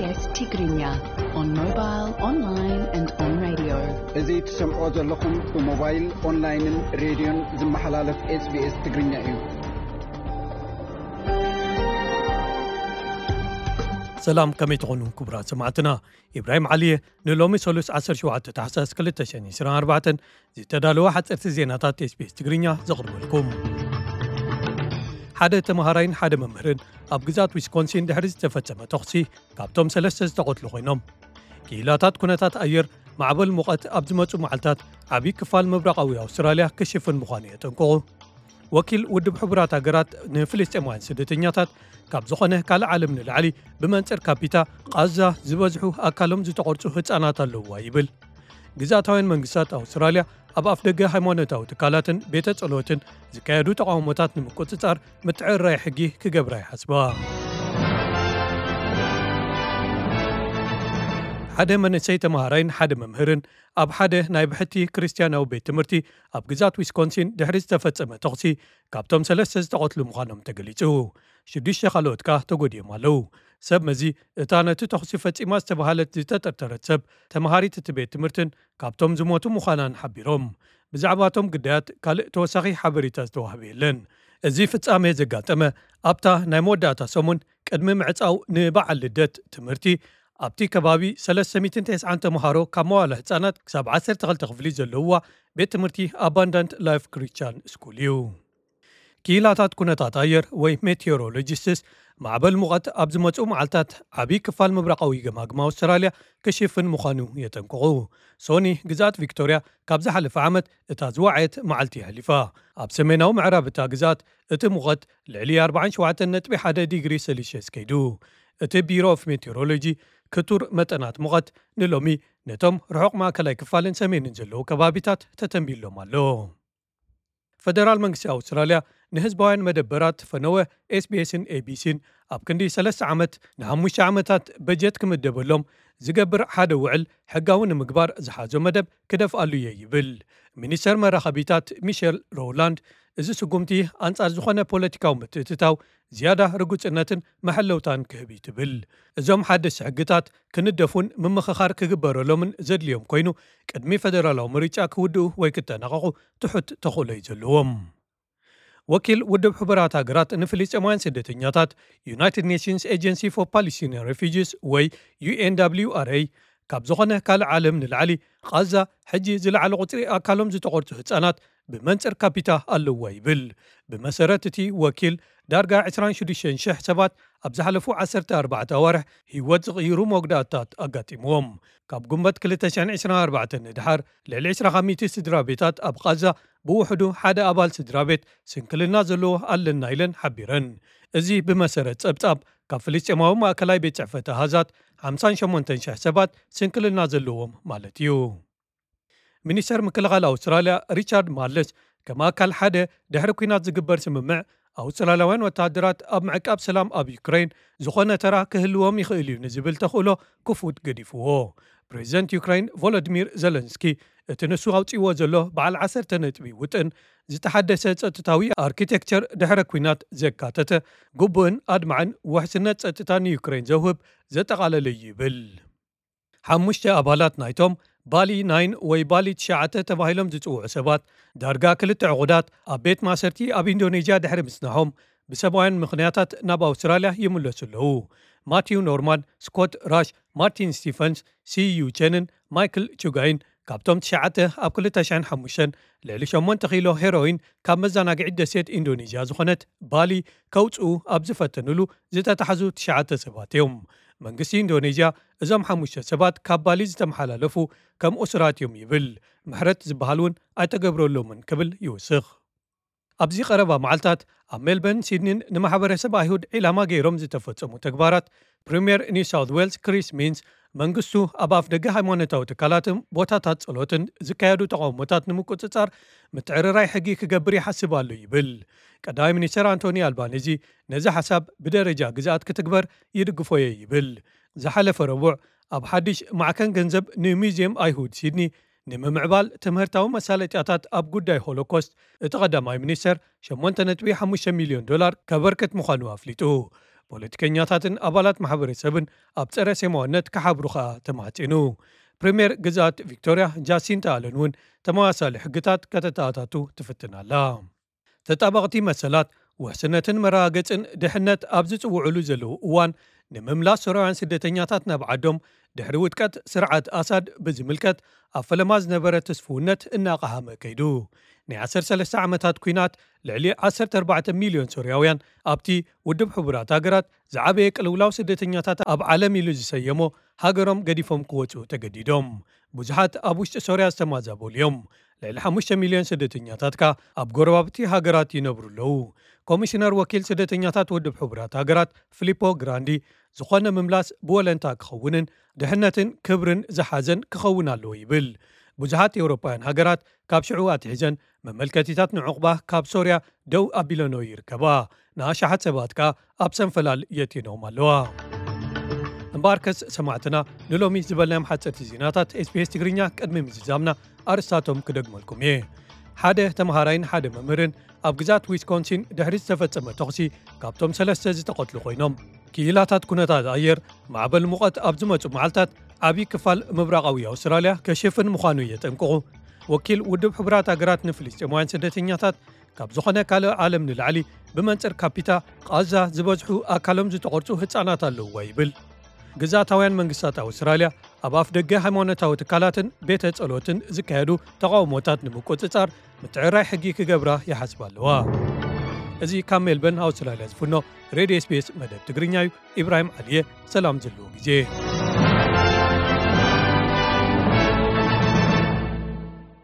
Tigrinya on mobile, online and on radio. እዚ ትሰምዖ ዘለኹም ብሞባይል፣ ኦንላይንን ሬድዮን ዝመሓላለፍ SBS ትግርኛ እዩ። ሰላም፣ ከመይ ትኾኑ ክቡራት ሰማዕትና? ኢብራሂም ዓሊየ ንሎሚ ሰሉስ ዓሰርተ ሸውዓተ ታሕሳስ ክልተ ሺሕ ዕስራን ኣርባዕተን ዝተዳለወ ሓፀርቲ ዜናታት SBS ትግርኛ ዘቕርበልኩም። ሓደ ተምሃራይን ሓደ መምህርን ኣብ ግዛት ዊስኮንሲን ድሕሪ ዝተፈጸመ ተኹሲ ካብቶም ሰለስተ ዝተቐትሉ ኮይኖም። ክኢላታት ኩነታት ኣየር ማዕበል ሙቐት ኣብ ዝመጹ መዓልታት ዓብዪ ክፋል ምብራቓዊ ኣውስትራልያ ክሽፍን ምዃኑ የጠንቅቑ። ወኪል ውድብ ሕቡራት ሃገራት ንፍልስጤማውያን ስደተኛታት ካብ ዝኾነ ካልእ ዓለም ንላዕሊ ብመንጽር ካፒታ ቓዛ ዝበዝሑ ኣካሎም ዝተቖርጹ ህጻናት ኣለውዋ ይብል። ግዝኣታውያን መንግስታት ኣውስትራልያ ኣብ ኣፍደገ ሃይማኖታዊ ትካላትን ቤተ ጸሎትን ዝካየዱ ተቓውሞታት ንምቁጽጻር ምትዕርራይ ሕጊ ክገብራ ይሓስባ። ሓደ መንእሰይ ተምሃራይን ሓደ መምህርን ኣብ ሓደ ናይ ብሕቲ ክርስትያናዊ ቤት ትምህርቲ ኣብ ግዛት ዊስኮንሲን ድሕሪ ዝተፈጸመ ተኹሲ ካብቶም ሰለስተ ዝተቐትሉ ምዃኖም ተገሊጹ። ሽዱሽተ ካልኦት ከኣ ተጎዲኦም ኣለዉ። ሰብ መዚ እታ ነቲ ተኹሲ ፈጺማ ዝተባህለት ዝተጠርጠረት ሰብ ተምሃሪት እቲ ቤት ትምህርትን ካብቶም ዝሞቱ ምዃናን ሓቢሮም። ብዛዕባ እቶም ግዳያት ካልእ ተወሳኺ ሓበሬታ ዝተዋህበ የለን። እዚ ፍጻሜ ዘጋጠመ ኣብታ ናይ መወዳእታ ሰሙን ቅድሚ ምዕጻው ንበዓል ልደት ትምህርቲ ኣብቲ ከባቢ ሰለስተ ሚእትን ተስዓን ተምሃሮ ካብ መዋለ ህጻናት ክሳብ ዓሰርተ ክልተ ክፍሊ ዘለውዋ ቤት ትምህርቲ ኣባንዳንት ላይፍ ክሪስቻን ስኩል እዩ። ክኢላታት ኩነታት ኣየር ወይ ሜቴዎሮሎጂስትስ ማዕበል ሙቐት ኣብ ዝመጽኡ መዓልታት ዓብዪ ክፋል ምብራቓዊ ገማግም ኣውስትራልያ ክሽፍን ምዃኑ የጠንቅቑ። ሶኒ ግዝኣት ቪክቶርያ ካብ ዝሓለፈ ዓመት እታ ዝወዓየት መዓልቲ ኣሕሊፋ። ኣብ ሰሜናዊ ምዕራብ እታ ግዝኣት እቲ ሙቐት ልዕሊ ኣርባዓን ሸውዓተን ነጥቢ ሓደ ዲግሪ ሴልሽየስ ከይዱ። እቲ ቢሮ ኦፍ ሜቴዎሮሎጂ ክቱር መጠናት ሙቐት ንሎሚ ነቶም ርሑቕ ማእከላይ ክፋልን ሰሜንን ዘለዉ ከባቢታት ተተንቢሎም ኣሎ። ፈደራል መንግስቲ ኣውስትራልያ ንህዝባውያን መደበራት ፈነወ ኤስቢኤስን ኤቢሲን ኣብ ክንዲ ሰለስተ ዓመት ንሓሙሽተ ዓመታት በጀት ክምደበሎም ዝገብር ሓደ ውዕል ሕጋዊ ንምግባር ዝሓዞ መደብ ክደፍኣሉ እየ ይብል። ሚኒስተር መራኸቢታት ሚሸል ሮውላንድ፣ እዚ ስጉምቲ ኣንጻር ዝኾነ ፖለቲካዊ ምትእትታው ዝያዳ ርጉጽነትን መሐለውታን ክህብ እዩ ትብል። እዞም ሓደስቲ ሕግታት ክንደፉን ምምኽኻር ክግበረሎምን ዘድልዮም ኮይኑ፣ ቅድሚ ፈደራላዊ ምርጫ ክውድኡ ወይ ክጠናቐቑ ትሑት ተኽእሎ እዩ ዘለዎም። ወኪል ውድብ ሕቡራት ሃገራት ንፍልስጤማውያን ስደተኛታት፣ ዩናይትድ ኔሽንስ ኤጀንሲ ፎር ፓለስቲኒያን ሬፊጂስ ወይ ዩ ኤን ደብሊው ኣር ኤ፣ ካብ ዝኾነ ካልእ ዓለም ንላዕሊ ቓዛ ሕጂ ዝለዓለ ቁጽሪ ኣካሎም ዝተቖርጹ ህጻናት ብመንጽር ካፒታ ኣለዋ ይብል። ብመሰረት እቲ ወኪል፣ ዳርጋ ዕስራን ሽዱሽተን ሽሕ ሰባት ኣብ ዝሓለፉ ዓሰርተ ኣርባዕተ ኣዋርሕ ህይወት ዝቕይሩ መጉዳእታት ኣጋጢምዎም። ካብ ጉንበት ክልተ ሽሕን ዕስራን ኣርባዕተን ንድሓር ልዕሊ ዕስራ ካብ ሚእቲ ስድራ ቤታት ኣብ ቓዛ ብውሕዱ ሓደ ኣባል ስድራ ቤት ስንክልና ዘለዎ ኣለና ኢለን ሓቢረን። እዚ ብመሰረት ጸብጻብ ካብ ፍልስጤማዊ ማእከላይ ቤት ጽሕፈት ኣሃዛት ሓምሳን ሸሞንተን ሽሕ ሰባት ስንክልና ዘለዎም ማለት እዩ። ሚኒስተር ምክልኻል ኣውስትራልያ ሪቻርድ ማርለስ፣ ከም ኣካል ሓደ ድሕሪ ኲናት ዝግበር ስምምዕ፣ ኣውስትራልያውያን ወተሃደራት ኣብ ምዕቃብ ሰላም ኣብ ዩክሬን ዝኾነ ተራ ክህልዎም ይኽእል እዩ ንዝብል ተኽእሎ ክፉት ገዲፍዎ። ፕሬዚደንት ዩክሬን ቮሎዲሚር ዘለንስኪ፣ እቲ ንሱ ኣውጺእዎ ዘሎ በዓል ዓሰርተ ነጥቢ ውጥን፣ ዝተሓደሰ ጸጥታዊ ኣርኪቴክቸር ድሕረ ኲናት ዘካተተ፣ ግቡእን ኣድማዕን ውሕስነት ጸጥታ ንዩክሬን ዘውህብ ዘጠቓለለ እዩ ይብል። ሓሙሽተ ኣባላት ናይቶም ባሊ ናይን ወይ ባሊ ትሽዓተ ተባሂሎም ዝጽውዑ ሰባት፣ ዳርጋ ክልተ ዕቑዳት ኣብ ቤት ማእሰርቲ ኣብ ኢንዶኔዥያ ድሕሪ ምጽናሖም፣ ብሰብኣውያን ምኽንያታት ናብ ኣውስትራልያ ይምለሱ ኣለዉ። ማቲው ኖርማን፣ ስኮት ራሽ፣ ማርቲን ስቲፈንስ፣ ሲ ዩ ቸንን ማይክል ቹጋይን፣ ካብቶም ትሽዓተ ኣብ ክልተ ሽሕን ሓሙሽተን ልዕሊ ሸሞንተ ኪሎ ሄሮይን ካብ መዘናግዒት ደሴት ኢንዶኔዥያ ዝኾነት ባሊ ከውጽኡ ኣብ ዝፈተኑሉ ዝተታሕዙ ትሽዓተ ሰባት እዮም። መንግስቲ ኢንዶኔዥያ፣ እዞም ሓሙሽተ ሰባት ካብ ባሊ ዝተመሓላለፉ ከም እሱራት እዮም ይብል። ምሕረት ዝበሃል እውን ኣይተገብረሎምን ክብል ይውስኽ። ኣብዚ ቀረባ መዓልታት ኣብ ሜልበርን ሲድኒን ንማሕበረሰብ ኣይሁድ ዒላማ ገይሮም ዝተፈጸሙ ተግባራት፣ ፕሪምየር ኒው ሳውት ዌልስ ክሪስ ሚንስ፣ መንግስቱ ኣብ ኣፍ ደገ ሃይማኖታዊ ትካላትን ቦታታት ጸሎትን ዝካየዱ ተቓውሞታት ንምቁጽጻር ምትዕርራይ ሕጊ ክገብር ይሓስብ ኣሎ ይብል። ቀዳማይ ሚኒስተር ኣንቶኒ ኣልባኒዚ ነዚ ሓሳብ ብደረጃ ግዝኣት ክትግበር ይድግፎ እየ ይብል። ዝሓለፈ ረቡዕ ኣብ ሓድሽ ማዕከን ገንዘብ ንሙዚየም ኣይሁድ ሲድኒ ንምምዕባል ትምህርታዊ መሳለጥያታት ኣብ ጉዳይ ሆሎኮስት እቲ ቀዳማይ ሚኒስተር ሸሞንተ ነጥቢ ሓሙሽተ ሚልዮን ዶላር ከበርክት ምዃኑ ኣፍሊጡ። ፖለቲከኛታትን ኣባላት ማሕበረሰብን ኣብ ጸረ ሴማውነት ክሓብሩ ከኣ ተማሕጺኑ። ፕሪምየር ግዝኣት ቪክቶርያ ጃሲንታ ኣለን እውን ተመሳሳሊ ሕግታት ከተተኣታቱ ትፍትን ኣላ። ተጣበቕቲ መሰላት፣ ውሕስነትን መረጋገጽን ድሕነት ኣብ ዝጽውዑሉ ዘለዉ እዋን፣ ንምምላስ ሶርያውያን ስደተኛታት ናብ ዓዶም ድሕሪ ውድቀት ስርዓት ኣሳድ ብዝምልከት ኣብ ፈለማ ዝነበረ ትስፍውነት እናቐሃመ ከይዱ። ናይ ዓሰርተ ሰለስተ ዓመታት ኲናት፣ ልዕሊ ዓሰርተ ኣርባዕተ ሚልዮን ሶርያውያን ኣብቲ ውድብ ሕቡራት ሃገራት ዝዓበየ ቅልውላው ስደተኛታት ኣብ ዓለም ኢሉ ዝሰየሞ ሃገሮም ገዲፎም ክወጹ ተገዲዶም። ብዙሓት ኣብ ውሽጢ ሶርያ ዝተማዛበሉ እዮም። ልዕሊ ሓሙሽተ ሚልዮን ስደተኛታት ከኣ ኣብ ጎረባብቲ ሃገራት ይነብሩ ኣለዉ። ኮሚሽነር ወኪል ስደተኛታት ውድብ ሕቡራት ሃገራት ፊሊፖ ግራንዲ፣ ዝኾነ ምምላስ ብወለንታ ክኸውንን ድሕነትን ክብርን ዝሓዘን ክኸውን ኣለዎ ይብል። ብዙሓት ኤውሮጳውያን ሃገራት ካብ ሽዑ ኣትሒዘን መመልከቲታት ንዕቑባ ካብ ሶርያ ደው ኣቢለንኦ ይርከባ። ንኣሽሓት ሰባት ከኣ ኣብ ሰንፈላል የእትየንኦም ኣለዋ። እምበኣርከስ ሰማዕትና፣ ንሎሚ ዝበልናዮም ሓጸርቲ ዜናታት ኤስቢኤስ ትግርኛ ቅድሚ ምዝዛምና ኣርእስታቶም ክደግመልኩም እየ። ሓደ ተምሃራይን ሓደ መምህርን ኣብ ግዛት ዊስኮንሲን ድሕሪ ዝተፈጸመ ተኹሲ ካብቶም ሰለስተ ዝተቐትሉ ኮይኖም። ክኢላታት ኩነታት ኣየር፣ ማዕበል ሙቐት ኣብ ዝመጹ መዓልታት ዓቢ ክፋል ምብራቓዊ ኣውስትራልያ ከሽፍን ምዃኑ የጠንቅቑ። ወኪል ውድብ ሕቡራት ሃገራት ንፍልስጤማውያን ስደተኛታት፣ ካብ ዝኾነ ካልእ ዓለም ንላዕሊ ብመንጽር ካፒታ ቓዛ ዝበዝሑ ኣካሎም ዝተቖርጹ ህጻናት ኣለውዋ ይብል። ግዝኣታውያን መንግስታት ኣውስትራልያ ኣብ ኣፍ ደገ ሃይማኖታዊ ትካላትን ቤተ ጸሎትን ዝካየዱ ተቓውሞታት ንምቁጽጻር ምትዕርራይ ሕጊ ክገብራ ይሓስባ ኣለዋ። እዚ ካብ ሜልበርን ኣውስትራልያ ዝፍኖ ሬድዮ ኤስቢኤስ መደብ ትግርኛ እዩ። ኢብራሂም ዓሊየ፣ ሰላም ዘለዎ ግዜ።